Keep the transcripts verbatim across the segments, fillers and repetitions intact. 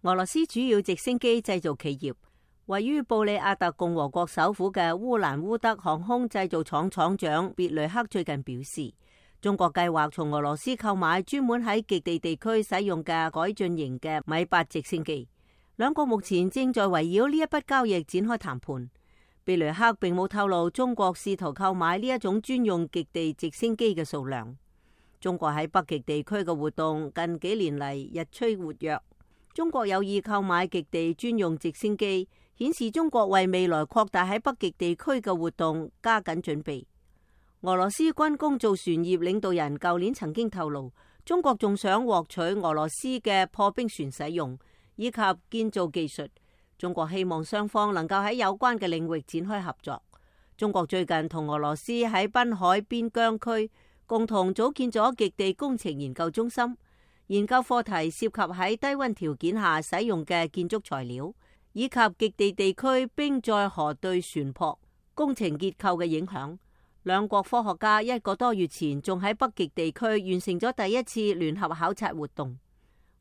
俄羅斯主要直升機製造企業位於布里亞特共和國首府嘅烏蘭烏德航空製造廠廠長別雷克最近表示，中國計劃從俄羅斯購買專門喺極地地區使用嘅改進型嘅米八直升機。兩國目前正在圍繞呢一筆交易展開談判。別雷克並冇透露中國試圖購買呢一種專用極地直升機嘅數量。中國喺北極地區嘅活動近幾年嚟日趨活躍。中國有意購買極地專用直升機，顯示中國為未來擴大喺北極地區嘅活動加緊準備。俄羅斯軍工造船業領導人舊年曾經透露，中國仲想獲取俄羅斯嘅破冰船使用以及建造技術。中國希望雙方能夠喺有關嘅領域展開合作。中國最近同俄羅斯喺濱海邊疆區共同組建咗極地工程研究中心。研究課題涉及喺低溫條件下使用嘅建築材料，以及極地地區冰載河對船舶工程結構嘅影響。兩國科學家一個多月前仲喺北極地區完成咗第一次聯合考察活動。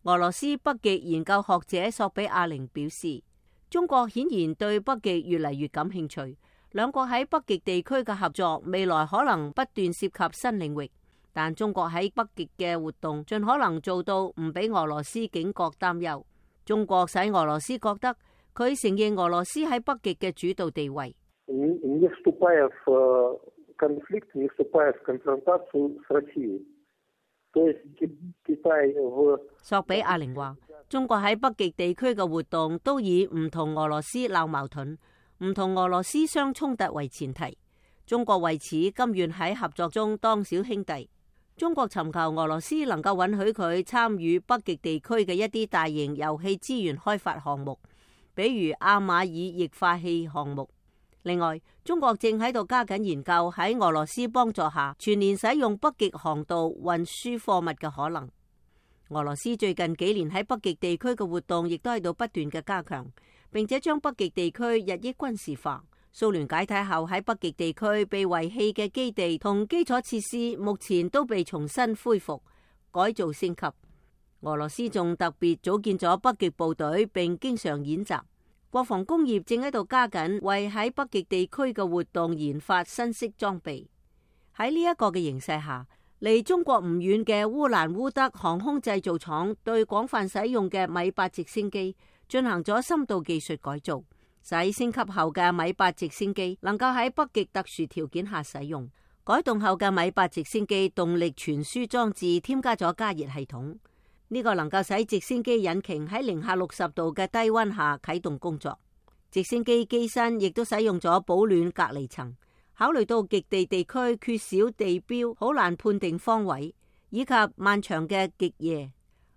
俄羅斯北極研究學者索比亞寧表示，中國顯然對北極越嚟越感興趣。兩國喺北極地區嘅合作未來可能不斷涉及新領域。但中國喺北極嘅活動盡可能做到唔俾俄羅斯警覺擔憂。中國使俄羅斯覺得佢承認俄羅斯喺北極嘅主導地位。索比亞寧話，中國喺北極地區嘅活動都以唔同俄羅斯鬧矛盾、唔同俄羅斯相衝突為前提。中國為此甘願喺合作中當小兄弟。中國尋求俄羅斯能夠允許佢參與北極地區嘅一啲大型油氣資源開發項目，比如阿馬爾液化氣項目。另外，中國正喺度加緊研究喺俄羅斯幫助下全年使用北極航道運輸貨物嘅可能。俄羅斯最近幾年喺北極地區嘅活動亦都喺度不斷嘅加強，並且將北極地區日益軍事化。蘇聯解體後喺北極地區被遺棄嘅基地同基礎設施，目前都被重新恢復、改造升級。俄羅斯仲特別組建咗北極部隊，並經常演習。國防工業正喺度加緊為喺北極地區嘅活動研發新式裝備。喺呢一個嘅形勢下，離中國唔遠嘅烏蘭烏德航空製造廠對廣泛使用嘅米八直升機進行咗深度技術改造，使升級後嘅米八直升機能夠喺北極特殊條件下使用。改動後嘅米八直升機動力傳輸裝置添加咗加熱系統，呢個能夠使直升機引擎喺零下六十度嘅低溫下啟動工作。直升機機身亦都使用咗保暖隔離層。考慮到極地地區缺少地標，好難判定方位，以及漫長嘅極夜、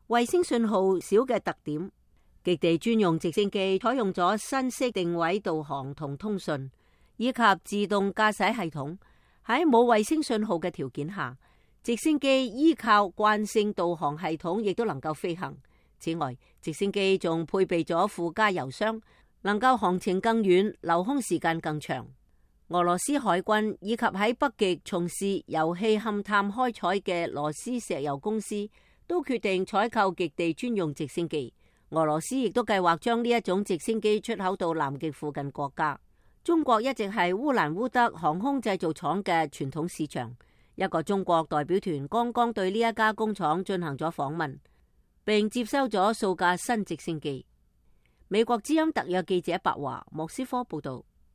衛星信號少嘅特點，極地專用直升機採用咗新式定位導航同通訊，以及自動駕駛系統。喺冇衛星信號嘅條件下，直升機依靠慣性導航系統亦都能夠飛行。此外，直升機仲配備咗附加油箱，能夠航程更遠，留空時間更長。俄羅斯海軍以及喺北極從事油氣勘探開採嘅羅斯石油公司都決定採購極地專用直升機。俄羅斯亦都計劃將呢一種直升機出口到南極附近國家。中國一直係烏蘭烏德航空製造廠嘅傳統市場。一個中國代表團剛剛對呢一家工廠進行咗訪問，並接收咗數架新直升機。美國之音特約記者白華莫斯科報道。